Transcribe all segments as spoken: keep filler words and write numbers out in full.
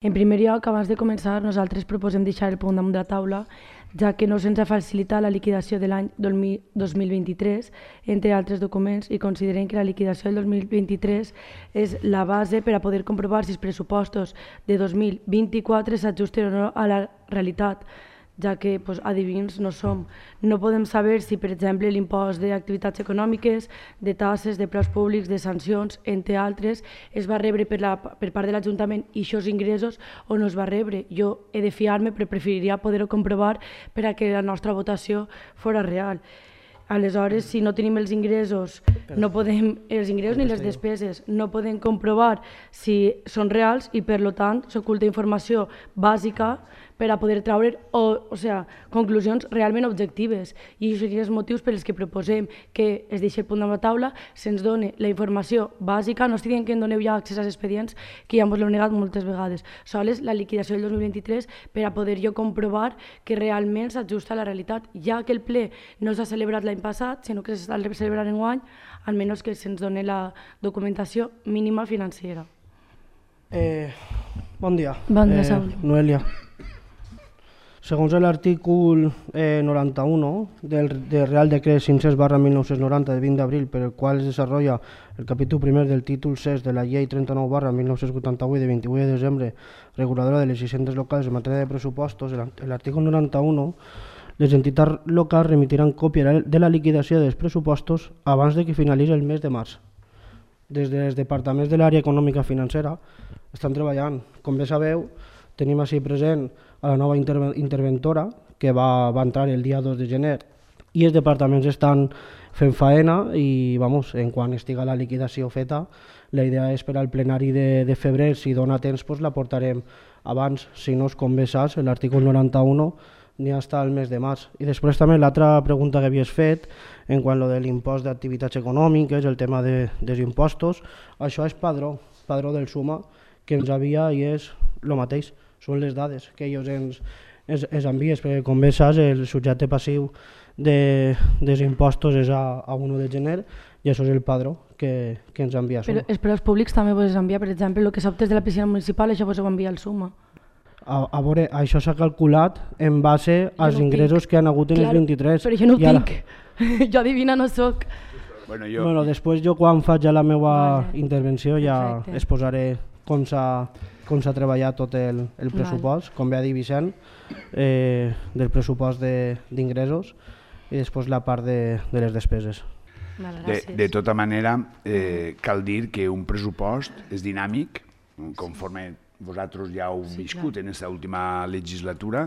En primer lloc, abans de començar, nosaltres proposem deixar el punt damunt de la taula, ja que no se'ns ha facilitat la liquidació de l'any dos mil vint-i-tres, entre altres documents, i considerem que la liquidació del dos mil vint-i-tres és la base per a poder comprovar si els pressupostos de dos mil vint-i-quatre s'ajusten o no a la realitat, ja que pues, adivins no som. No podem saber si, per exemple, l'impost d'activitats econòmiques, de tasses, de preus públics, de sancions, entre altres, es va rebre per, la, per part de l'Ajuntament i aquests ingressos o no es va rebre. Jo he de fiar-me, però preferiria poder-ho comprovar per a que la nostra votació fos real. Aleshores, si no tenim els ingressos, no podem, els ingressos ni les despeses, no podem comprovar si són reals i, per tant, s'oculta informació bàsica per a poder treure o, o sea, conclusions realment objectives. I aquests serien els motius per als que proposem que es deixi el punt damunt la taula, se'ns doni la informació bàsica, no estic dient que en doneu ja accés als expedients, que ja ens l'heu negat moltes vegades, sols la liquidació del dos mil vint-i-tres per a poder jo comprovar que realment s'ajusta a la realitat, ja que el ple no s'ha celebrat l'any passat, sinó que s'està celebrant enguany, almenys que se'ns doni la documentació mínima financera. Eh, bon dia. Bon dia, eh, Saúl. Noelia. Segons l'artícul eh, noranta-u del, del Real Decret cinc-cents barra mil nou-cents noranta de vint d'abril, per el qual es desarrolla el capítol primer del títol sis de la Llei trenta-nou barra mil nou-cents vuitanta-vuit de vint-i-vuit de desembre, reguladora de les hisendes locals en matèria de pressupostos, l'artícul noranta-u, les entitats locals remitiran còpia de la liquidació dels pressupostos abans de que finalitzi el mes de març. Des dels departaments de l'àrea econòmica financera estan treballant. Com bé sabeu, tenim així present a la nova interve interventora que va, va entrar el dia dos de gener i els departaments estan fent faena i vamos, en quan estiga la liquidació feta, la idea és per al plenari de, de febrer, si dona temps pues, la portarem abans, si no, com bé saps, l'artícul noranta-u n'hi ha hasta el mes de març. I després també l'altra pregunta que havies fet en quant a lo de l'impost d'activitats econòmiques, el tema de, dels impostos, això és padró, padró del suma que ens havia i és el mateix. Són les dades que ells ens, ens, ens envies, perquè com bé saps el subjecte passiu de, dels impostos és a, a un de gener i això és el padró que, que ens envia Suma. Però els preus públics també vos envia, per exemple, el que s'optes de la piscina municipal, això vos ho envia el Suma. A, a veure, això s'ha calculat en base als no ingressos tinc. que han hagut en claro, el vint-i-tres. Però jo no ho tinc, la... jo adivina no soc. Bueno, jo... bueno, després jo quan faig ja la meva vale. intervenció ja Perfecte. exposaré com s'ha com s'ha treballat tot el, el pressupost, vale. com bé ha dit Vicent, eh, del pressupost d'ingressos i després la part de, de les despeses. De, de tota manera, eh, cal dir que un pressupost és dinàmic, conforme vosaltres ja heu sí, viscut clar. en aquesta última legislatura,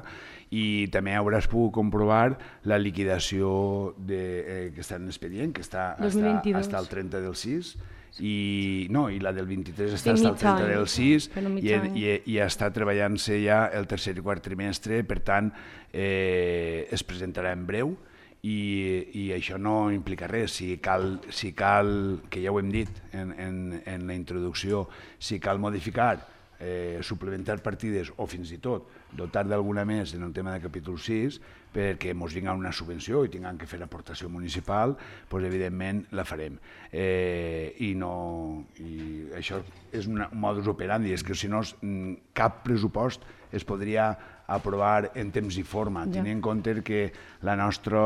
i també hauràs pogut comprovar la liquidació de, eh, que està en l'expedient, que està fins al trenta del sis, i no, i la del vint-i-tres està fins al trenta del sis i, i, i està treballant-se ja el tercer i quart trimestre, per tant eh, es presentarà en breu i, i això no implica res. Si cal, si cal, que ja ho hem dit en, en, en la introducció, si cal modificar, eh, suplementar partides o fins i tot dotar d'alguna més en el tema de capítol sis perquè ens vinga una subvenció i tinguem que fer aportació municipal, doncs evidentment la farem. Eh, i, no, I això és un modus operandi, és que si no cap pressupost es podria aprovar en temps i forma, ja. tenint en compte que la nostra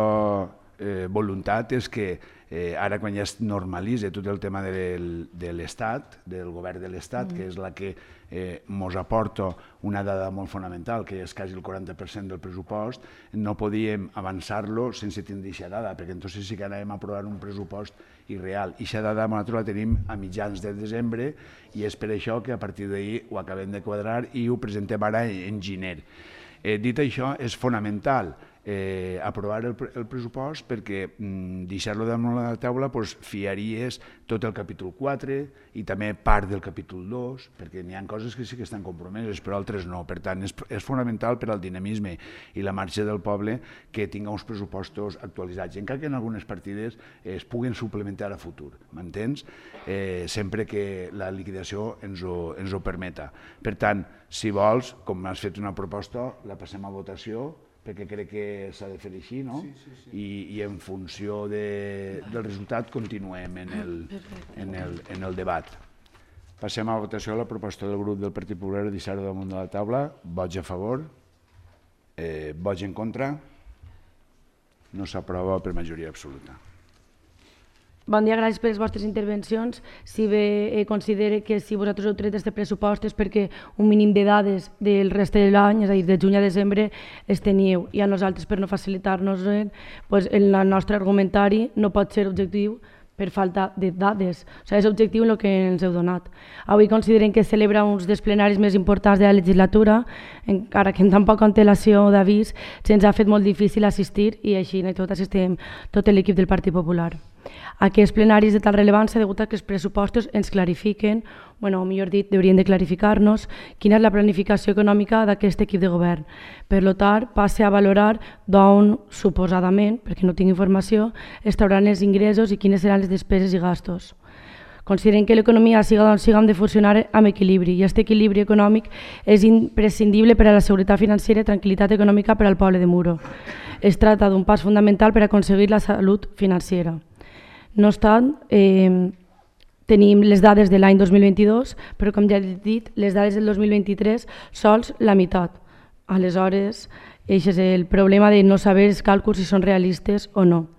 eh, voluntat és que eh, ara quan ja es normalitza tot el tema de, de l'Estat, del govern de l'Estat, mm. que és la que eh, mos aporta una dada molt fonamental, que és quasi el quaranta per cent del pressupost, no podíem avançar-lo sense tindre aquesta dada, perquè entonces sí que anàvem a aprovar un pressupost irreal. I aquesta dada nosaltres la tenim a mitjans de desembre i és per això que a partir d'ahir ho acabem de quadrar i ho presentem ara en gener. Eh, dit això, és fonamental eh, aprovar el, el pressupost perquè mm, deixar-lo damunt la taula pues, fiaries tot el capítol quatre i també part del capítol dos, perquè n'hi ha coses que sí que estan compromeses, però altres no. Per tant, és, és fonamental per al dinamisme i la marxa del poble que tinga uns pressupostos actualitzats, encara que en algunes partides es puguen suplementar a futur, m'entens? Eh, sempre que la liquidació ens ho, ens ho permeta. Per tant, si vols, com m'has fet una proposta, la passem a votació, perquè crec que s'ha de fer així, no? Sí, sí, sí. I, i en funció de, del resultat continuem en el, en el, en el debat. Passem a la votació de la proposta del grup del Partit Popular de deixar-ho damunt de la taula. Vots a favor? Eh, vots en contra? No s'aprova per majoria absoluta. Bon dia, gràcies per les vostres intervencions. Si bé eh, considere que si vosaltres heu tret aquest pressupost és perquè un mínim de dades del reste de l'any, és a dir, de juny a desembre, es teniu, i a nosaltres, per no facilitar-nos, eh, pues, el nostre argumentari no pot ser objectiu per falta de dades. O sigui, és objectiu en el que ens heu donat. Avui considerem que celebra uns dels plenaris més importants de la legislatura, encara que amb tan poca antelació d'avís se'ns ha fet molt difícil assistir i així i tot assistim tot l'equip del Partit Popular. Aquests plenaris de tal rellevància degut a que els pressupostos ens clarifiquen, bueno, o millor dit, deurien de clarificar-nos quina és la planificació econòmica d'aquest equip de govern. Per tant, passe a valorar d'on, suposadament, perquè no tinc informació, es trauran els ingressos i quines seran les despeses i gastos. Considerem que l'economia, siga d'on siga, hem de funcionar amb equilibri i aquest equilibri econòmic és imprescindible per a la seguretat financera i tranquil·litat econòmica per al poble de Muro. Es tracta d'un pas fundamental per aconseguir la salut financera. No obstant, eh, tenim les dades de l'any dos mil vint-i-dos, però com ja he dit, les dades del dos mil vint-i-tres sols la meitat. Aleshores, aquest és el problema de no saber els càlculs si són realistes o no.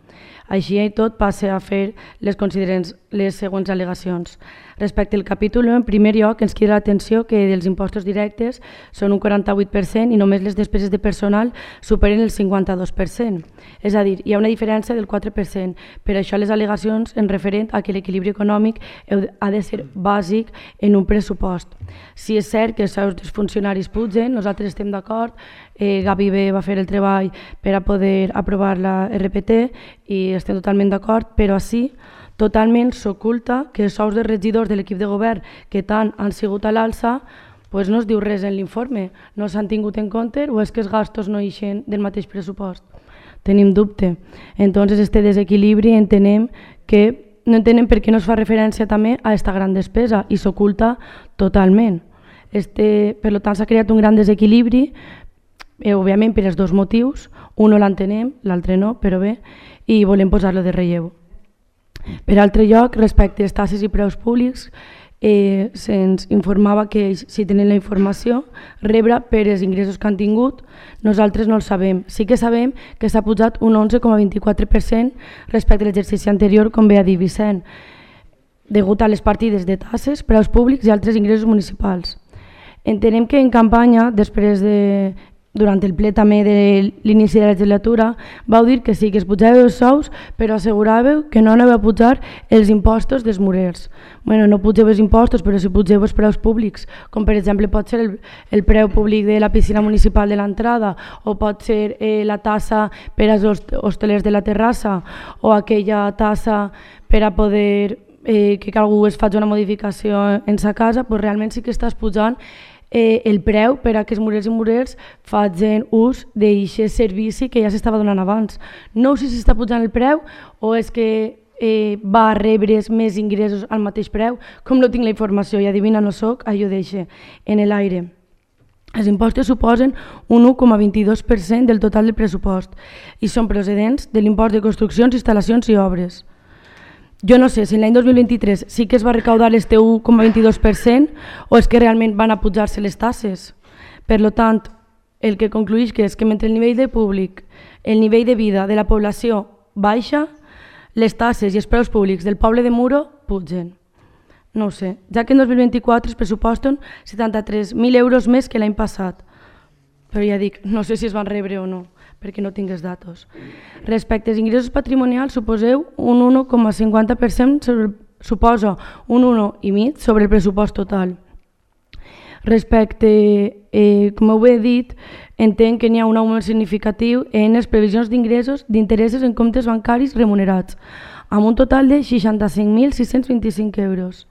Així i tot passe a fer les, les següents al·legacions. Respecte al capítol, en primer lloc, ens crida l'atenció que dels impostos directes són un quaranta-vuit per cent i només les despeses de personal superen el cinquanta-dos per cent. És a dir, hi ha una diferència del quatre per cent. Per això les al·legacions en referent a que l'equilibri econòmic ha de ser bàsic en un pressupost. Si és cert que els sous dels funcionaris pugen, nosaltres estem d'acord, eh, Gavi B va fer el treball per a poder aprovar la R P T i estem totalment d'acord, però així totalment s'oculta que els sous de regidors de l'equip de govern que tant han sigut a l'alça pues no es diu res en l'informe, no s'han tingut en compte o és que els gastos no ixen del mateix pressupost. Tenim dubte. Entonces, este desequilibri entenem que no entenem per què no es fa referència també a aquesta gran despesa i s'oculta totalment. Este, per tant, s'ha creat un gran desequilibri, eh, òbviament per els dos motius, un no l'entenem, l'altre no, però bé, i volem posar-lo de relleu. Per altre lloc, respecte als taxes i preus públics, eh, se'ns informava que si tenen la informació, rebre per els ingressos que han tingut, nosaltres no el sabem. Sí que sabem que s'ha pujat un onze coma vint-i-quatre per cent respecte a l'exercici anterior, com bé ha dit Vicent, degut a les partides de taxes, preus públics i altres ingressos municipals. Entenem que en campanya, després de... durant el ple també de l'inici de la legislatura, vau dir que sí, que es pujava els sous, però asseguràveu que no anava a pujar els impostos dels murers. Bueno, no pugeu els impostos, però si pugeu els preus públics, com per exemple pot ser el, el preu públic de la piscina municipal de l'entrada, o pot ser eh, la tassa per als hostelers de la terrassa, o aquella tassa per a poder eh, que algú es faci una modificació en sa casa, doncs realment sí que estàs pujant Eh, el preu per a que els murers i murers facin ús d'aquest servici que ja s'estava donant abans. No sé si s'està pujant el preu o és que eh, va rebre més ingressos al mateix preu. Com no tinc la informació i adivina no soc, allò deixa en l'aire. Els impostos suposen un u coma vint-i-dos per cent del total del pressupost i són procedents de l'impost de construccions, instal·lacions i obres. Jo no sé si l'any dos mil vint-i-tres sí que es va recaudar este u coma vint-i-dos per cent o és que realment van a pujar-se les taxes. Per tant, el que concluïx que és que mentre el nivell de públic, el nivell de vida de la població baixa, les taxes i els preus públics del poble de Muro pugen. No ho sé, ja que en dos mil vint-i-quatre es pressuposten setanta-tres mil euros més que l'any passat. Però ja dic, no sé si es van rebre o no, perquè no tinc els datos. Respecte als ingressos patrimonials, suposeu un un coma cinquanta per cent, sobre, suposa un un coma cinc per cent sobre el pressupost total. Respecte, eh, com ho he dit, entenc que n'hi ha un augment significatiu en les previsions d'ingressos d'interessos en comptes bancaris remunerats, amb un total de seixanta-cinc mil sis-cents vint-i-cinc euros.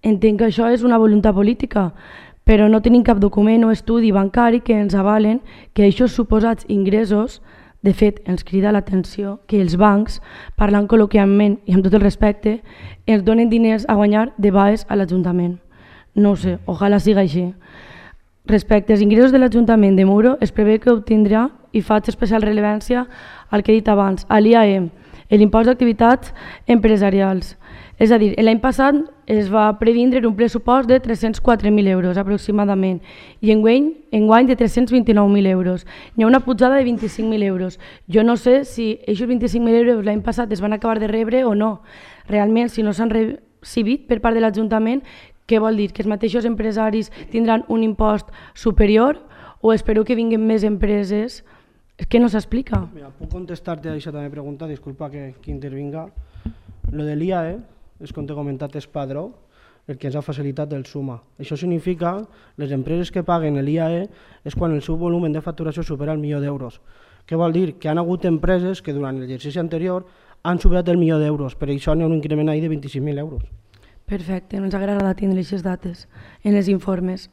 Entenc que això és una voluntat política, però no tenim cap document o estudi bancari que ens avalen que aquests suposats ingressos, de fet, ens crida l'atenció que els bancs, parlant col·loquialment i amb tot el respecte, ens donen diners a guanyar de baix a l'Ajuntament. No ho sé, ojalà siga així. Respecte als ingressos de l'Ajuntament de Muro, es prevé que obtindrà, i faig especial rellevància al que he dit abans, a l'I A E, l'impost d'activitats empresarials. És a dir, l'any passat es va previndre un pressupost de tres-cents quatre mil euros aproximadament i enguany, enguany de tres-cents vint-i-nou mil euros. Hi ha una pujada de vint-i-cinc mil euros. Jo no sé si aquests vint-i-cinc mil euros l'any passat es van acabar de rebre o no. Realment, si no s'han recibit per part de l'Ajuntament, què vol dir? Que els mateixos empresaris tindran un impost superior o espero que vinguin més empreses? És que no s'explica. Mira, puc contestar-te a aquesta també pregunta, disculpa que, que intervinga. Lo de l'I A E, és com t'he comentat, és padró, el que ens ha facilitat el Suma. Això significa les empreses que paguen l'I A E és quan el seu volum de facturació supera el milió d'euros. Què vol dir? Que han hagut empreses que durant l'exercici anterior han superat el milió d'euros, per això n'hi ha un increment ahí de vint-i-cinc mil euros. Perfecte, ens agrada tindre aquestes dates en els informes.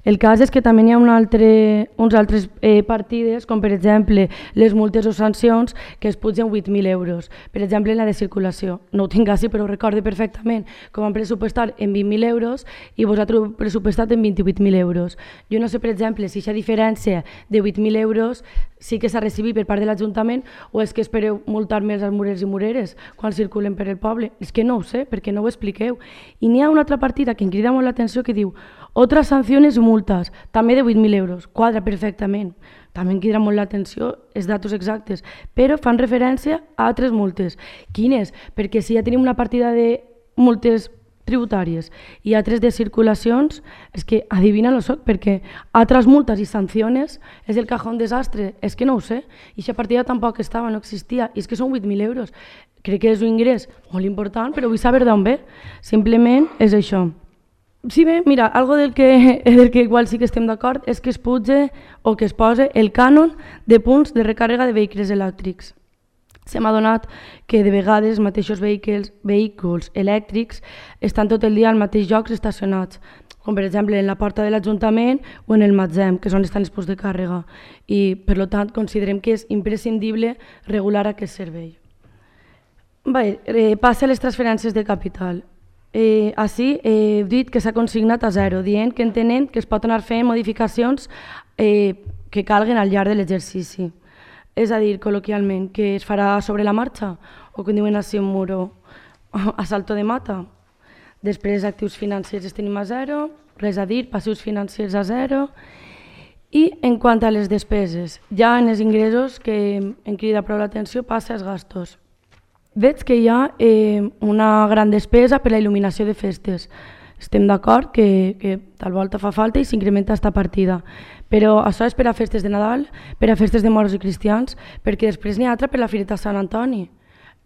El cas és que també hi ha un altre, uns altres eh, partides, com per exemple les multes o sancions, que es pugen vuit mil euros. Per exemple, en la de circulació. No ho tinc així, però ho recorde perfectament. Com han pressupostat en vint mil euros i vosaltres heu pressupostat en vint-i-vuit mil euros. Jo no sé, per exemple, si aquesta diferència de vuit mil euros sí que s'ha recibit per part de l'Ajuntament o és que espereu multar més als murers i mureres quan circulen per el poble. És que no ho sé, perquè no ho expliqueu. I n'hi ha una altra partida que em crida molt l'atenció que diu otras sanciones y multas, també de vuit mil euros, quadra perfectament. També em crida molt l'atenció els datos exactes, però fan referència a altres multes. Quines? Perquè si ja tenim una partida de multes tributàries i altres de circulacions, és que adivina lo soc, perquè altres multes i sancions és el cajón desastre, és que no ho sé, i aquesta partida tampoc estava, no existia, i és que són vuit mil euros. Crec que és un ingrés molt important, però vull saber d'on ve, simplement és això. Sí, bé, mira, algo del que, del que igual sí que estem d'acord és que es puge o que es posa el cànon de punts de recàrrega de vehicles elèctrics. Se m'ha donat que de vegades els mateixos vehicles, vehicles elèctrics estan tot el dia al mateix llocs estacionats, com per exemple en la porta de l'Ajuntament o en el magatzem, que és on estan els punts de càrrega. I per tant considerem que és imprescindible regular aquest servei. Bé, eh, passa a les transferències de capital. Eh, així he dit que s'ha consignat a zero, dient que entenem que es pot anar fent modificacions eh, que calguen al llarg de l'exercici. És a dir, col·loquialment, que es farà sobre la marxa, o que diuen així un muro, a salto de mata. Després, actius financers els tenim a zero, res a dir, passius financers a zero. I en quant a les despeses, ja en els ingressos, que em crida prou l'atenció, passa als gastos. Veig que hi ha eh, una gran despesa per la il·luminació de festes. Estem d'acord que, que tal volta fa falta i s'incrementa aquesta partida. Però això és per a festes de Nadal, per a festes de moros i cristians, perquè després n'hi ha altra per la Fireta Sant Antoni.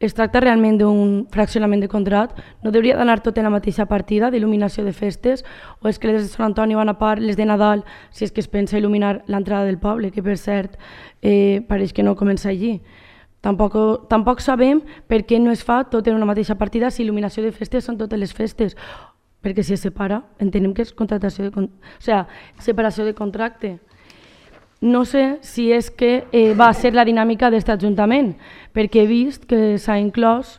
Es tracta realment d'un fraccionament de contrat? No hauria d'anar tot en la mateixa partida d'il·luminació de festes? O és que les de Sant Antoni van a part les de Nadal si és que es pensa il·luminar l'entrada del poble, que per cert eh, pareix que no comença allí? Tampoc, tampoc sabem per què no es fa tot en una mateixa partida si il·luminació de festes són totes les festes, perquè si es separa entenem que és contractació de, o sigui, separació de contracte. No sé si és que eh, va ser la dinàmica d'aquest Ajuntament, perquè he vist que s'ha inclòs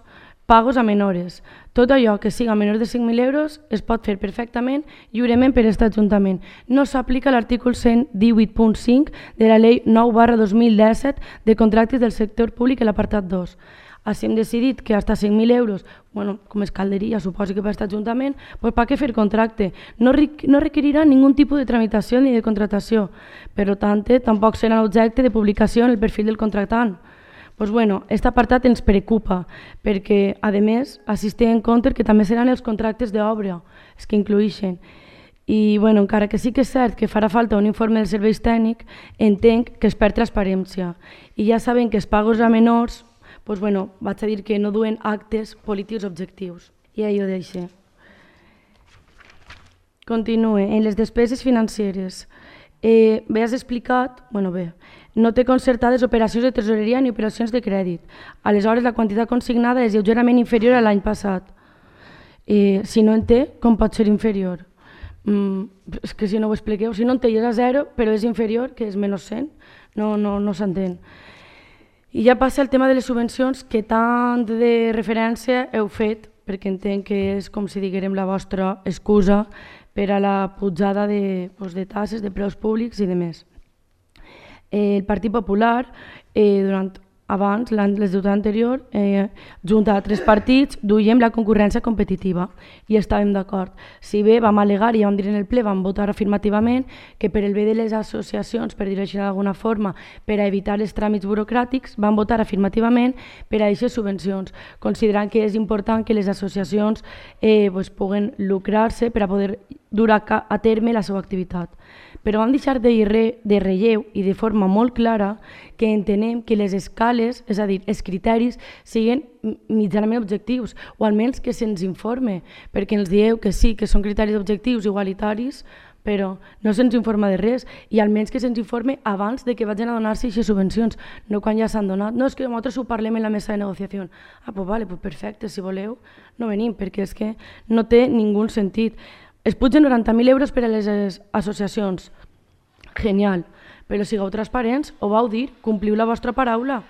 pagos a menores. Tot allò que siga menor de cinc mil euros es pot fer perfectament lliurement per aquest Ajuntament. No s'aplica l'article cent divuit punt cinc de la llei nou barra dos mil disset de contractes del sector públic, l'apartat dos. Així hem decidit que fins cinc mil euros, bueno, com es calderia, suposo que per aquest Ajuntament, pues per què fer contracte? No, no requerirà ningun tipus de tramitació ni de contractació. Per tant, tampoc serà objecte de publicació en el perfil del contractant. Pues bueno, aquest apartat ens preocupa, perquè, a més, assistim en compte que també seran els contractes d'obra, els que incluïxen. I, bueno, encara que sí que és cert que farà falta un informe dels serveis tècnics, entenc que es perd transparència. I ja sabem que els pagos a menors, pues bueno, vaig a dir que no duen actes polítics objectius. I ahí ho deixo. Continue. En les despeses financeres. Eh, bé, has explicat, bueno bé, no té concertades operacions de tresoreria ni operacions de crèdit. Aleshores, la quantitat consignada és lleugerament inferior a l'any passat. Eh, si no en té, com pot ser inferior? Mm, és que si no ho expliqueu, si no en té és a zero, però és inferior, que és menys cent, no, no, no s'entén. I ja passa el tema de les subvencions, que tant de referència heu fet, perquè entenc que és com si diguérem la vostra excusa per a la pujada de, doncs, de tasses, de preus públics i de més. El Partit Popular, eh, durant abans, la legislatura anterior, eh, junt a tres partits, duíem la concurrència competitiva i estàvem d'acord. Si bé vam al·legar i vam dir en el ple, vam votar afirmativament que per el bé de les associacions, per dir-ho així d'alguna forma, per a evitar els tràmits burocràtics, vam votar afirmativament per a aquestes subvencions, considerant que és important que les associacions eh, pues, puguen lucrar-se per a poder dur a, a terme la seva activitat. Però vam deixar de, re, de relleu i de forma molt clara que entenem que les escales, és a dir, els criteris, siguin mitjanament objectius, o almenys que se'ns informe, perquè ens dieu que sí, que són criteris objectius igualitaris, però no se'ns informa de res, i almenys que se'ns informe abans de que vagin a donar-se aquestes subvencions, no quan ja s'han donat. No, és que nosaltres ho parlem en la mesa de negociació. Ah, doncs vale, pues perfecte, si voleu, no venim, perquè és que no té ningú sentit. Es pugen noranta mil euros per a les associacions. Genial. Però sigueu transparents, ho vau dir, compliu la vostra paraula.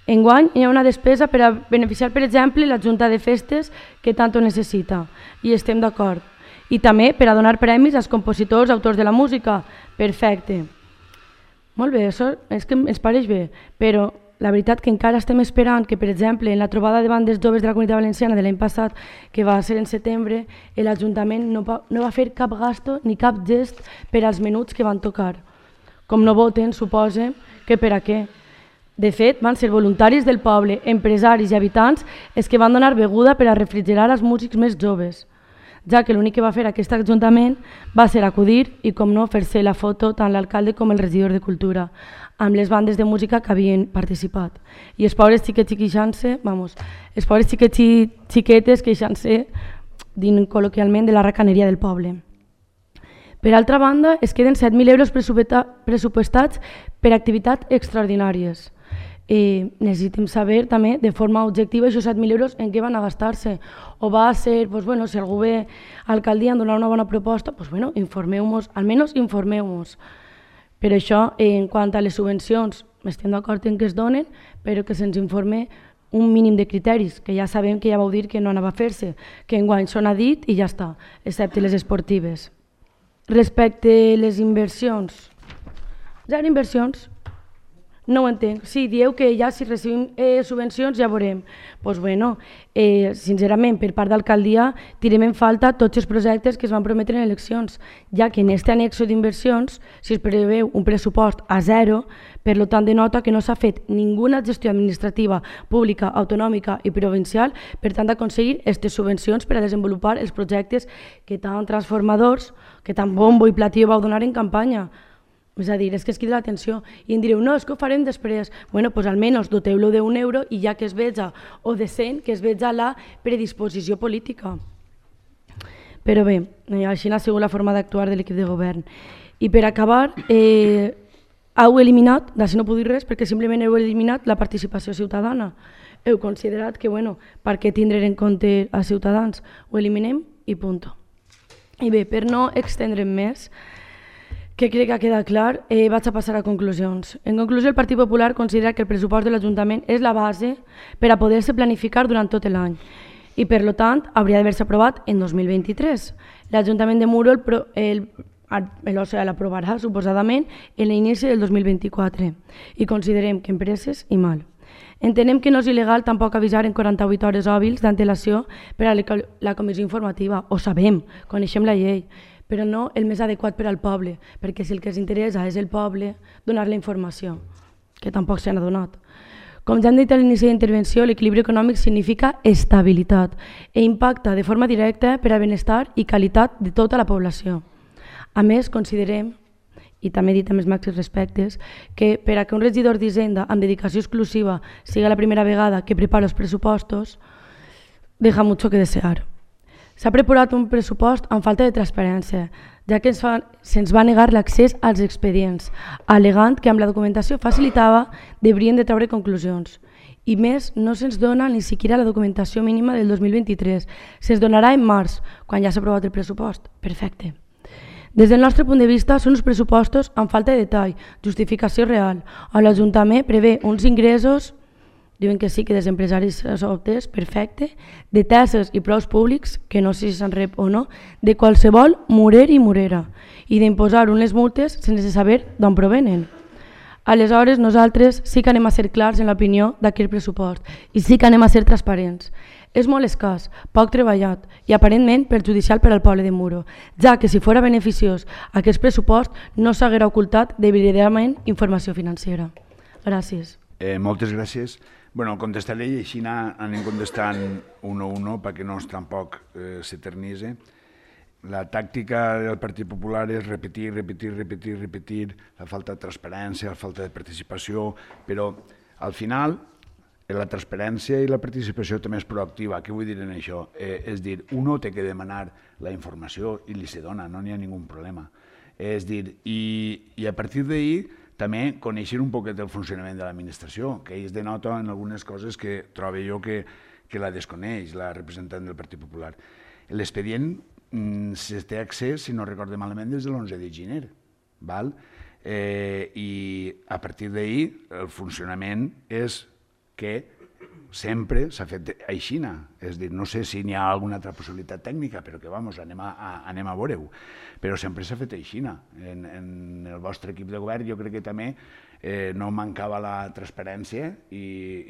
Enguany hi ha una despesa per a beneficiar, per exemple, la Junta de Festes que tant ho necessita, i estem d'acord. I també per a donar premis als compositors, autors de la música. Perfecte. Molt bé, això és que ens pareix bé, però la veritat que encara estem esperant que, per exemple, en la trobada de bandes joves de la Comunitat Valenciana de l'any passat, que va ser en setembre, l'Ajuntament no, va, no va fer cap gasto ni cap gest per als menuts que van tocar. Com no voten, suposa que per a què. De fet, van ser voluntaris del poble, empresaris i habitants els que van donar beguda per a refrigerar els músics més joves, ja que l'únic que va fer aquest Ajuntament va ser acudir i, com no, fer-se la foto tant l'alcalde com el regidor de Cultura, amb les bandes de música que havien participat. I els pobres xiquets i queixant-se, vamos, els pobres xiquets i xiquetes queixant-se, dint col·loquialment, de la racaneria del poble. Per altra banda, es queden set mil euros pressupostats per activitats extraordinàries. Eh, necessitem saber també de forma objectiva aquests set mil euros en què van a gastar-se. O va a ser, pues, bueno, si algú ve a l'alcaldia a donar una bona proposta, pues, bueno, informeu-nos, almenys informeu-nos. Per això, eh, en quant a les subvencions, estem d'acord en que es donen, però que se'ns informe un mínim de criteris, que ja sabem que ja vau dir que no anava a fer-se, que enguany s'ho ha dit i ja està, excepte les esportives. Respecte a les inversions, ja eren inversions. No ho entenc. Sí, dieu que ja si recibim eh, subvencions ja veurem. Doncs pues bueno, eh, sincerament, per part d'alcaldia tirem en falta tots els projectes que es van prometre en eleccions, ja que en aquest anexo d'inversions, si es preveu un pressupost a zero, per tant denota que no s'ha fet ninguna gestió administrativa, pública, autonòmica i provincial per tant d'aconseguir aquestes subvencions per a desenvolupar els projectes que tan transformadors, que tan bombo i platillo vau donar en campanya. És a dir, és que es crida l'atenció i em direu, no, és que ho farem després. Bueno, doncs almenys doteu-lo d'un euro i ja que es veja, o de cent, que es veja la predisposició política. Però bé, així ha sigut la forma d'actuar de l'equip de govern. I per acabar, eh, heu eliminat, d'ací no puc dir res, perquè simplement heu eliminat la participació ciutadana. Heu considerat que, bueno, per què tindre en compte a Ciutadans? Ho eliminem i punt. I bé, per no extendre'm més, que crec que ha quedat clar, eh, vaig a passar a conclusions. En conclusió, el Partit Popular considera que el pressupost de l'Ajuntament és la base per a poder-se planificar durant tot l'any i, per tant, hauria d'haver-se aprovat en dos mil vint-i-tres. L'Ajuntament de Muro l'aprovarà, suposadament, en l'inici del dos mil vint-i-quatre i considerem que empreses i mal. Entenem que no és il·legal tampoc avisar en quaranta-vuit hores hàbils d'antelació per a la comissió informativa. Ho sabem, coneixem la llei, però no el més adequat per al poble, perquè si el que ens interessa és el poble, donar la informació, que tampoc se n'ha donat. Com ja hem dit a l'inici d'intervenció, l'equilibri econòmic significa estabilitat i impacta de forma directa per al benestar i qualitat de tota la població. A més, considerem, i també he dit amb els màxims respectes, que per a que un regidor d'Hisenda amb dedicació exclusiva siga la primera vegada que prepara els pressupostos, deja mucho que desear. S'ha preparat un pressupost amb falta de transparència, ja que se'ns va negar l'accés als expedients, al·legant que amb la documentació facilitava deurien de treure conclusions. I més, no se'ns dona ni siquiera la documentació mínima del dos mil vint-i-tres. Se'ns donarà en març, quan ja s'ha aprovat el pressupost. Perfecte. Des del nostre punt de vista, són uns pressupostos amb falta de detall, justificació real, on l'Ajuntament prevé uns ingressos, diuen que sí, que dels empresaris s'obtés, perfecte, de tasses i preus públics, que no sé si se'n rep o no, de qualsevol murer i murera, i d'imposar unes multes sense saber d'on provenen. Aleshores, nosaltres sí que anem a ser clars en l'opinió d'aquest pressupost i sí que anem a ser transparents. És molt escàs, poc treballat i aparentment perjudicial per al poble de Muro, ja que si fora beneficiós aquest pressupost no s'haguera ocultat deliberadament informació financera. Gràcies. Eh, moltes gràcies. Bueno, contestaré i així anem contestant un a un perquè no tampoc eh, s'eternitzi. La tàctica del Partit Popular és repetir, repetir, repetir, repetir, la falta de transparència, la falta de participació, però al final la transparència i la participació també és proactiva. Què vull dir en això? Eh, és dir, uno té que demanar la informació i li se dona, no n'hi ha ningú problema. És dir, i, i a partir d'ahir també conèixer un poquet el funcionament de l'administració, que ells denota en algunes coses que trobo jo que, que la desconeix, la representant del Partit Popular. L'expedient se té accés, si no recordo malament, des de l'onze de gener. Val? Eh, I a partir d'ahir el funcionament és que sempre s'ha fet aixina. És dir, no sé si n'hi ha alguna altra possibilitat tècnica, però que vamos, anem a, a, anem a veure-ho. Però sempre s'ha fet aixina. En, en el vostre equip de govern jo crec que també eh, no mancava la transparència i,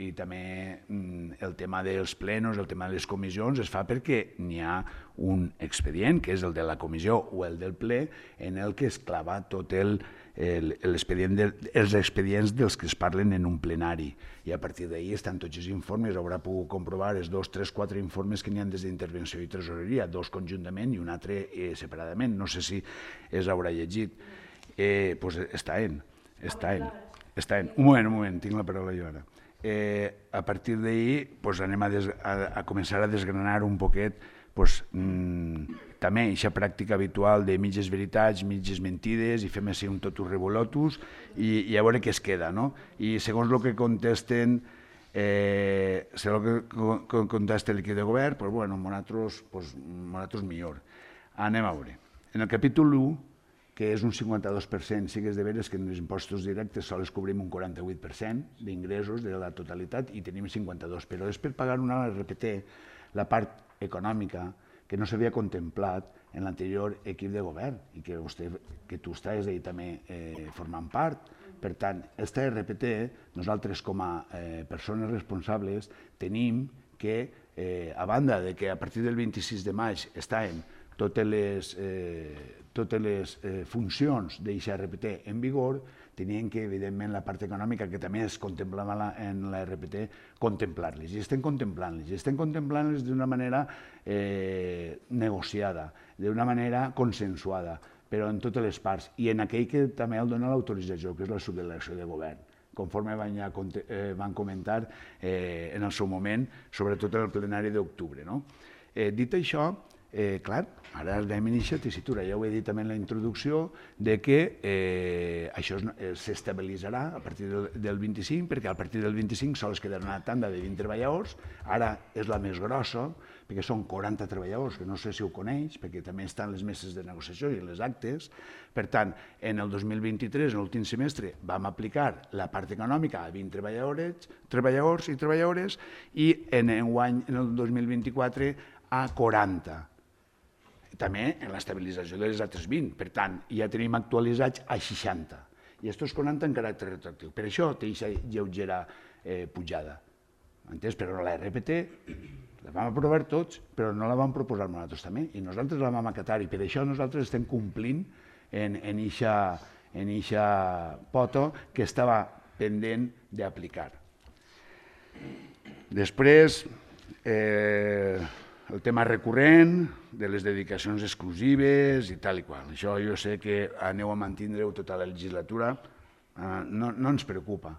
i també mm, el tema dels plenos, el tema de les comissions es fa perquè n'hi ha un expedient, que és el de la comissió o el del ple, en el que es clava tot el l'expedient de, els expedients dels que es parlen en un plenari. I a partir d'ahir estan tots els informes, haurà pogut comprovar els dos, tres, quatre informes que n'hi ha des d'intervenció i tresoreria, dos conjuntament i un altre eh, separadament. No sé si es haurà llegit. Eh, pues està en, està en, està en. Un moment, un moment, tinc la paraula jo ara. Eh, a partir d'ahir pues, anem a, des, a, a començar a desgranar un poquet pues, mmm, també aquesta pràctica habitual de mitges veritats, mitges mentides, i fem així un totus revolotus i, i a veure què es queda, no? I segons el que contesten, eh, segons el que contesta l'equip de govern, pues, bueno, nosaltres, pues, nosaltres millor. Anem a veure. En el capítol u, que és un cinquanta-dos per cent, sí que és de veres que en els impostos directes sols cobrim un quaranta-vuit per cent d'ingressos de la totalitat i tenim cinquanta-dos, però és per pagar una R P T, la part econòmica que no s'havia contemplat en l'anterior equip de govern i que, vostè, que tu estàs ahí també eh, formant part. Per tant, aquesta R P T, nosaltres com a eh, persones responsables tenim que, eh, a banda de que a partir del vint-i-sis de maig estaven totes les, eh, totes les eh, funcions d'aquesta R P T en vigor, tenien que, evidentment, la part econòmica, que també es contemplava en la R P T, contemplar-les. I estem contemplant-les. I estem contemplant-les d'una manera eh, negociada, d'una manera consensuada, però en totes les parts. I en aquell que també el dona l'autorització, que és la subdelegació de govern, conforme van, ja, eh, van comentar eh, en el seu moment, sobretot en el plenari d'octubre. No? Eh, dit això, Eh, clar, ara anem a iniciar tessitura, ja ho he dit també en la introducció, de que eh, això s'estabilitzarà a partir del, del vint-i-cinc, perquè a partir del vint-i-cinc sols quedarà una tanda de vint treballadors, ara és la més grossa, perquè són quaranta treballadors, que no sé si ho coneix, perquè també estan les meses de negociació i les actes. Per tant, en el dos mil vint-i-tres, en l'últim semestre, vam aplicar la part econòmica a vint treballadors, treballadors i treballadores, i en enguany, en el dos mil vint-i-quatre, a quaranta. També en l'estabilització de les altres vint. Per tant, ja tenim actualitzats a seixanta. I aquests quaranta en caràcter retroactiu. Per això té aquesta lleugera eh, pujada. Entès? Però la R P T la vam aprovar tots, però no la vam proposar nosaltres també. I nosaltres la vam acatar i per això nosaltres estem complint en aquesta pota que estava pendent d'aplicar. Després, eh, el tema recurrent de les dedicacions exclusives i tal i qual. Això jo sé que aneu a mantindre-ho tota la legislatura. No, no ens preocupa,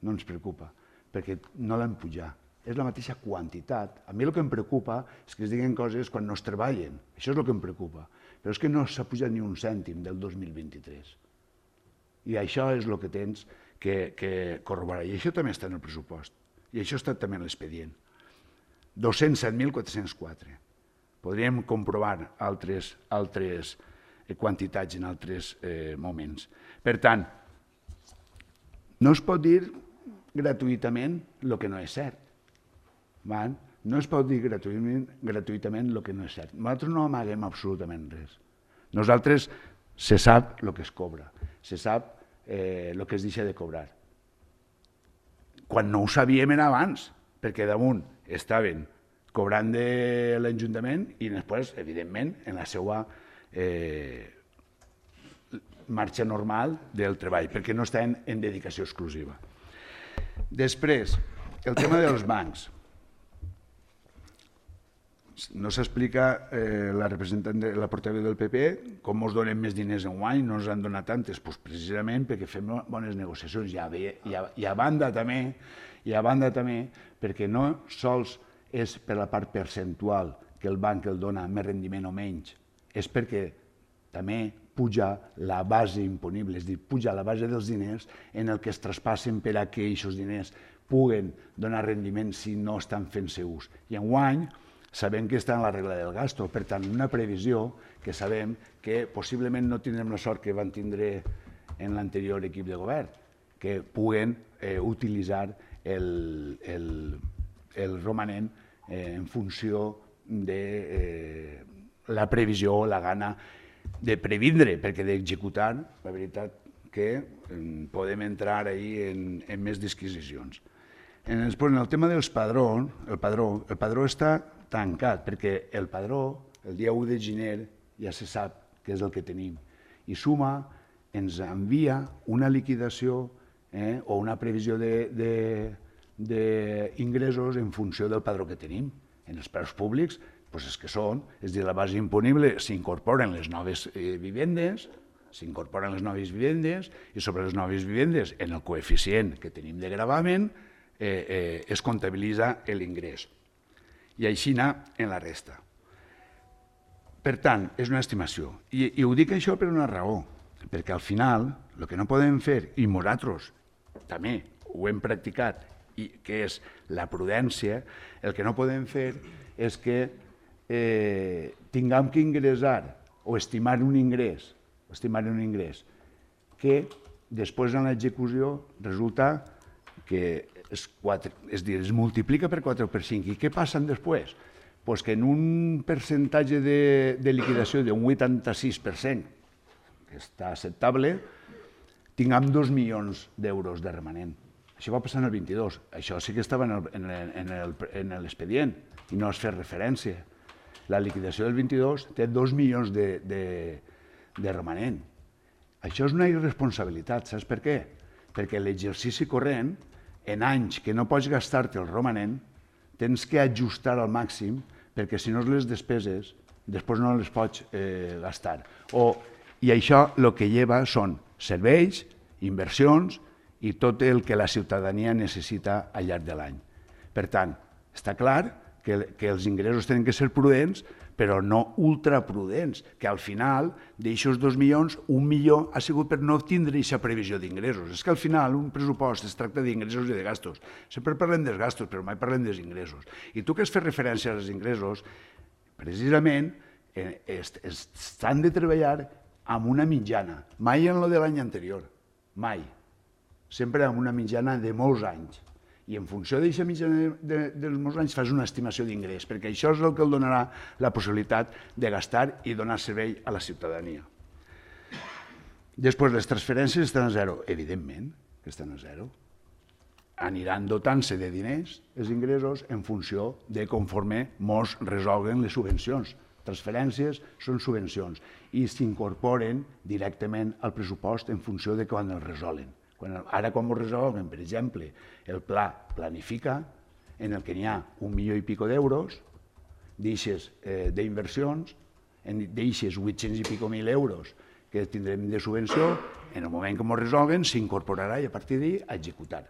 no ens preocupa, perquè no l'hem pujat. És la mateixa quantitat. A mi el que em preocupa és que es diguen coses quan no es treballen. Això és el que em preocupa. Però és que no s'ha pujat ni un cèntim del dos mil vint-i-tres. I això és el que tens que, que corroborar. I això també està en el pressupost. I això està també en l'expedient. dos-cents set mil quatre-cents quatre. Podríem comprovar altres, altres quantitats en altres eh, moments. Per tant, no es pot dir gratuïtament el que no és cert. Van? No es pot dir gratuïtament, gratuïtament el que no és cert. Nosaltres no amaguem absolutament res. Nosaltres se sap el que es cobra, se sap el que es deixa de cobrar. Quan no ho sabíem era abans, perquè damunt estaven cobrant de l'Ajuntament i després, evidentment, en la seva marxa normal del treball, perquè no estaven en dedicació exclusiva. Després, el tema dels bancs. No s'explica la representant de la portaveu del P P com ens donen més diners en guany, no ens han donat tantes, precisament perquè fem bones negociacions i a banda també, i a banda també perquè no sols és per la part percentual que el banc el dona més rendiment o menys, és perquè també puja la base imponible, és a dir, puja la base dels diners en el que es traspassen per a que aquests diners puguen donar rendiment si no estan fent-se ús. I enguany sabem que està en la regla del gasto, per tant, una previsió que sabem que possiblement no tindrem la sort que van tindre en l'anterior equip de govern, que puguen utilitzar el romanent en funció de la previsió o la gana de previndre, perquè d'executar, la veritat que podem entrar en més disquisicions. En el tema dels padrons, el padró, el padró està tancat, perquè el padró, el dia u de gener, ja se sap què és el que tenim. I Suma ens envia una liquidació o una previsió d'ingressos en funció del padró que tenim. En els preus públics, doncs és que són, és a dir, la base imponible s'incorporen les noves vivendes, s'incorporen les noves vivendes i sobre les noves vivendes, en el coeficient que tenim de gravamen, es comptabilitza l'ingrés. I així anar en la resta. Per tant, és una estimació. I ho dic això per una raó, perquè al final el que no podem fer, i nosaltres també ho hem practicat, que és la prudència, el que no podem fer és que tinguem que ingressar o estimar un ingrés, estimar un ingrés, que després en l'execució resulta que es multiplica per quatre o per cinc. I què passa després? Doncs que en un percentatge de liquidació d'un vuitanta-sis per cent, que està acceptable, tinguem dos milions d'euros de remanent. Això va passar en el vint-i-dos. Això sí que estava en l'expedient i no es fa referència. La liquidació del vint-i-dos té dos milions de remanent. Això és una irresponsabilitat. Saps per què? Perquè l'exercici corrent, en anys que no pots gastar-te el romanent, tens que ajustar al màxim perquè si no les despeses després no les pots gastar. I això el que lleva són serveis, inversions i tot el que la ciutadania necessita al llarg de l'any. Per tant, està clar que els ingressos tenen que ser prudents, però no ultraprudents, que al final d'aixòs dos milions, un milió ha sigut per no tindre aquesta previsió d'ingressos. És que al final un pressupost es tracta d'ingressos i de gastos. Sempre parlem dels gastos, però mai parlem dels ingressos. I tu que has fet referència als ingressos, precisament s'han de treballar amb una mitjana, mai en el de l'any anterior, mai. Sempre amb una mitjana de molts anys. I en funció d'aquesta mitjana dels molts anys fas una estimació d'ingrés, perquè això és el que el donarà la possibilitat de gastar i donar servei a la ciutadania. Després, les transferències estan a zero. Evidentment que estan a zero. Aniran dotant-se de diners els ingressos en funció de conforme mos resolguen les subvencions. Transferències són subvencions i s'incorporen directament al pressupost en funció de quan els resolen. Ara, quan ho resolguen, per exemple, el pla planifica, en el que n'hi ha un milió i pico d'euros, d'eixes d'inversions, d'eixes vuit-cents i pico mil euros que tindrem de subvenció, en el moment que ho resolguen s'incorporarà i a partir d'ahir a executar.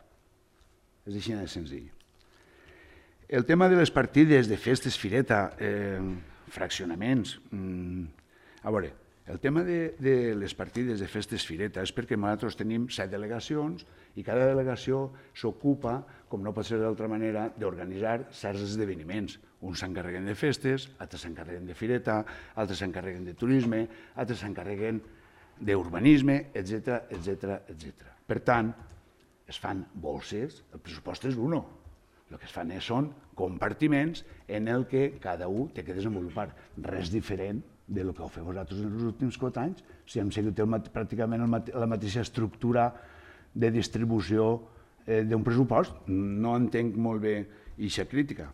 És així de senzill. El tema de les partides de festes, fireta, fraccionaments... A veure, el tema de les partides de festes fireta és perquè nosaltres tenim set delegacions i cada delegació s'ocupa, com no pot ser d'altra manera, d'organitzar certs esdeveniments. Uns s'encarreguen de festes, altres s'encarreguen de fireta, altres s'encarreguen de turisme, altres s'encarreguen d'urbanisme, etcètera, etcètera, etcètera. Per tant, es fan bolses, el pressupost és uno. El que es fan són compartiments en el que cada un té que desenvolupar. Res diferent del que heu fet vosaltres en els últims quatre anys, si hem seguit pràcticament la mateixa estructura de distribució d'un pressupost. No entenc molt bé aquesta crítica.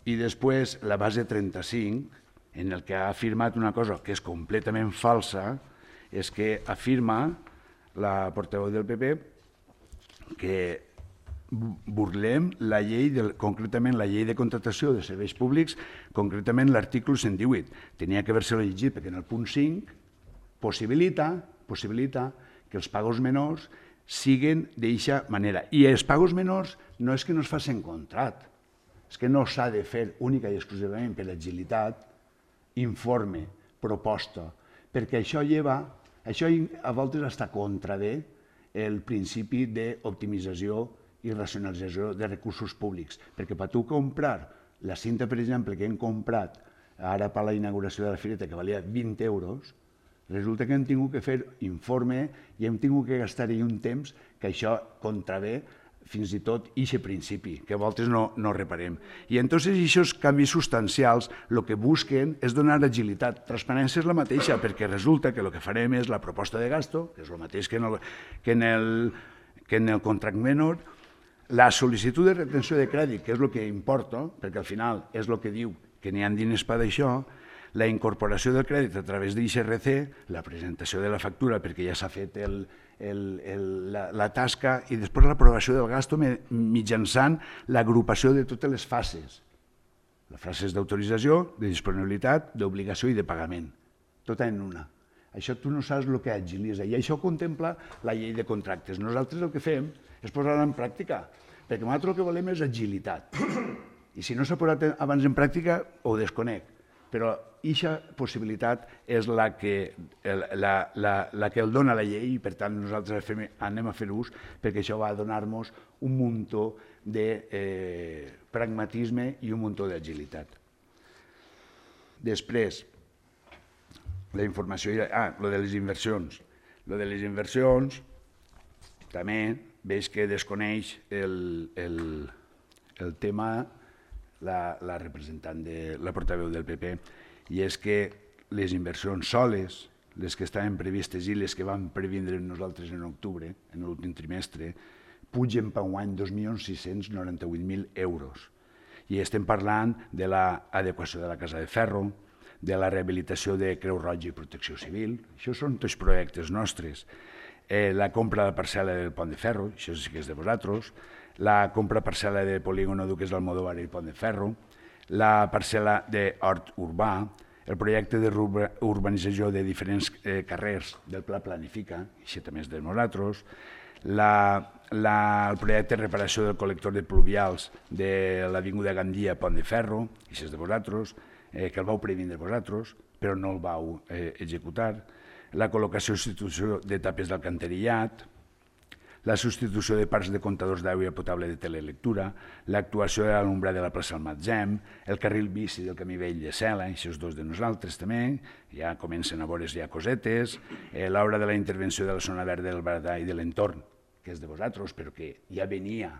I després, la base trenta-cinc, en el que ha afirmat una cosa que és completament falsa, és que afirma la portaveu del P P que burlem la llei, concretament la llei de contractació de serveis públics, concretament l'article cent divuit. Tenia que haver-se llegit perquè en el punt cinc possibilita, possibilita que els pagos menors siguin d'eixa manera. I els pagos menors no és que no es facin contrat, és que no s'ha de fer única i exclusivament per agilitat, informe, proposta, perquè això lleva, això a voltes està contravé el principi d'optimització i racionalització de recursos públics, perquè per tu comprar la cinta, per exemple, que hem comprat ara per la inauguració de la fireta, que valia vint euros, resulta que hem tingut que fer informe i hem tingut que gastar-hi un temps que això contravé fins i tot aquest principi, que a voltes no, no reparem. I entonces aquests canvis substancials el que busquen és donar agilitat. Transparència és la mateixa, perquè resulta que el que farem és la proposta de gasto, que és el mateix que en el, que en el, que en el contracte menor, la sol·licitud de retenció de crèdit, que és el que importa, perquè al final és el que diu que n'hi ha diners per d'això, la incorporació del crèdit a través d'I C R C, la presentació de la factura perquè ja s'ha fet el, el, el, la, la tasca i després l'aprovació del gasto mitjançant l'agrupació de totes les fases. Les fases d'autorització, de disponibilitat, d'obligació i de pagament. Tota en una. Això tu no saps el que agilitza i això contempla la llei de contractes. Nosaltres el que fem és posar-la en pràctica, perquè nosaltres el que volem és agilitat. I si no s'ha posat abans en pràctica, ho desconec. Però aquesta possibilitat és la que, la, la, la que el dona la llei i per tant nosaltres fem, anem a fer ús perquè això va donar-nos un muntó de eh, pragmatisme i un muntó d'agilitat. Després, la informació, ah, lo de les inversions. Lo de les inversions també veig que desconeix el, el, el tema la, la representant de la portaveu del P P, i és que les inversions soles, les que estaven previstes i les que vam previndre nosaltres en octubre, en l'últim trimestre, pugen per un any dos milions sis-cents noranta-vuit mil euros. I estem parlant de l'adequació de la Casa de Ferro, de la rehabilitació de Creu Roja i Protecció Civil, això són tots projectes nostres. Eh, la compra de parcel·la del Pont de Ferro, això sí que és de vosaltres, la compra parcel·la de Polígono Duques d'Almodóvar i Pont de Ferro, la parcel·la d'Hort Urbà, el projecte d'urbanització de diferents eh, carrers del Pla Planifica, això també és de nosaltres, la, la, el projecte de reparació del col·lector de pluvials de l'Avinguda Gandia Pont de Ferro, això és de vosaltres, eh, que el vau previndre vosaltres, però no el vau eh, executar, la col·locació i substitució de tapes d'alcantarillat, la substitució de parcs de comptadors d'aigua potable de telelectura, l'actuació de l'alumbrada de la plaça del Matzem, el carril bici del camí vell de Cela, això és dos de nosaltres també, ja comencen a veure's ja cosetes, eh, l'obra de la intervenció de la zona verda del Baradà i de l'entorn, que és de vosaltres, però que ja venia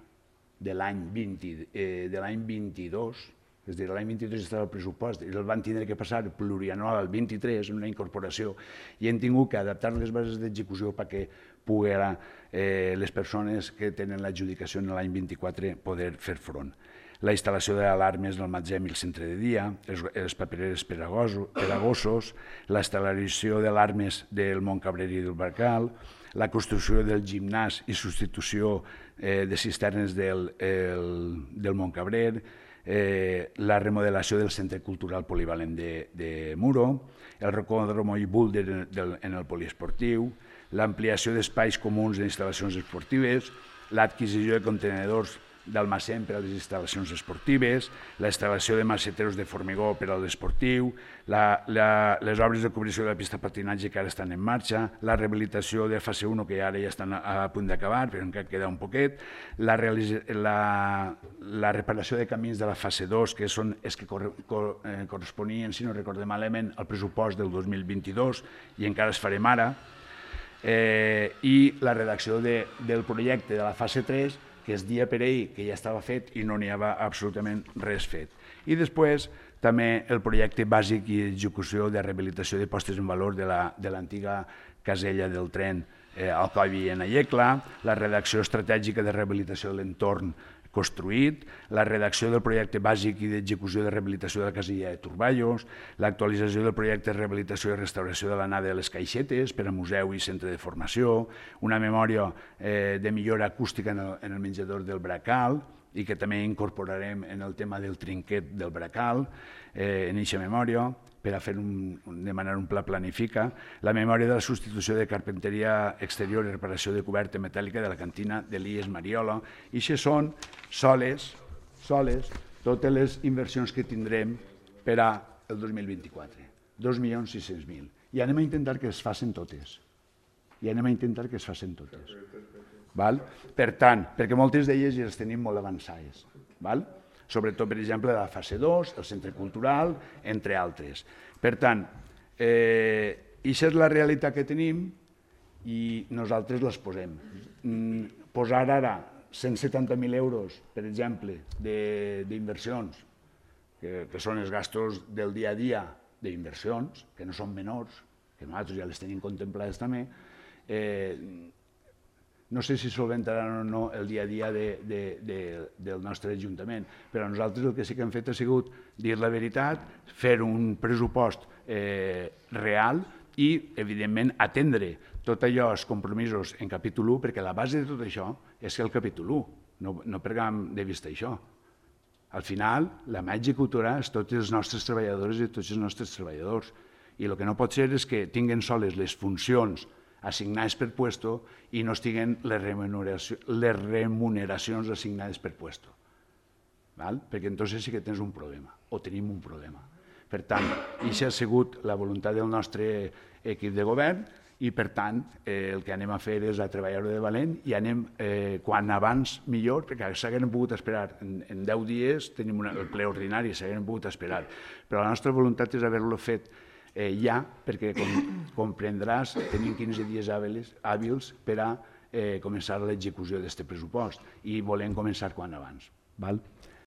de l'any vint, eh, de l'any vint-i-dos, és a dir, l'any vint-i-tres estava el pressupost i el van tindre que passar plurianual al vint-i-tres, una incorporació, i hem tingut que adaptar les bases d'execució perquè poguera eh, les persones que tenen l'adjudicació en l'any vint-i-quatre poder fer front. La instal·lació d'alarmes del Matzem i el centre de dia, els, els papereres per a gossos, la instal·lació d'alarmes del Montcabrer i del Barcal, la construcció del gimnàs i substitució eh, de cisternes del, el, del Montcabrer, eh, la remodelació del centre cultural polivalent de, de Muro, el rocòdromo i búlder en, en el poliesportiu, l'ampliació d'espais comuns d'instal·lacions esportives, l'adquisició de contenedors d'almacén per a les instal·lacions esportives, la instal·lació de maceteros de formigó per a l'esportiu, les obres de cobrició de la pista de patinatge que ara estan en marxa, la rehabilitació de fase u que ara ja estan a punt d'acabar, però encara queda un poquet, la, la, la reparació de camins de la fase dos, que són els que cor, cor, eh, corresponien, si no recordem malament, al pressupost del dos mil vint-i-dos i encara es farem ara, eh, i la redacció de, del projecte de la fase tres, que es dia per ell que ja estava fet i no n'hi havia absolutament res fet. I després també el projecte bàsic i execució de rehabilitació de postes en valor de l'antiga casella del tren al Coll i en Ayecla, la redacció estratègica de rehabilitació de l'entorn construït, la redacció del projecte bàsic i d'execució de rehabilitació de la casella de Turballos, l'actualització del projecte de rehabilitació i restauració de l'anada de les Caixetes per a museu i centre de formació, una memòria de millora acústica en el menjador del Bracal i que també incorporarem en el tema del trinquet del Bracal, en eixa memòria, per a fer demanar un pla planifica, la memòria de la substitució de carpenteria exterior i reparació de coberta metàl·lica de la cantina de l'I E S Mariola. I això són soles, soles, totes les inversions que tindrem per al dos mil vint-i-quatre. dos milions sis-cents mil. I anem a intentar que es facin totes. I anem a intentar que es facin totes. Per tant, perquè moltes d'elles ja les tenim molt avançades. Sobretot, per exemple, la fase dos, el centre cultural, entre altres. Per tant, això és la realitat que tenim i nosaltres les posem. Posar ara cent setanta mil euros, per exemple, d'inversions, que són els gastos del dia a dia d'inversions, que no són menors, que nosaltres ja les tenim contemplades també, no sé si solventaran o no el dia a dia del nostre Ajuntament, però nosaltres el que sí que hem fet ha sigut dir la veritat, fer un pressupost real i, evidentment, atendre tot allò, els compromisos en capítol u, perquè la base de tot això és el capítol u, no perdem de vista això. Al final, la mà executora és tots els nostres treballadors i tots els nostres treballadors, i el que no pot ser és que tinguin soles les funcions assignades per puesto i no estiguen les remuneracions assignades per puesto. Perquè llavors sí que tens un problema, o tenim un problema. Per tant, això ha sigut la voluntat del nostre equip de govern i, per tant, el que anem a fer és a treballar-ho de valent i anem, quan abans millor, perquè s'hagueren pogut esperar, en deu dies tenim el ple ordinari, s'hagueren pogut esperar, però la nostra voluntat és haver-lo fet ja, perquè, com comprendràs, tenim quinze dies hàbils per a començar l'execució d'aquest pressupost i volem començar quan abans.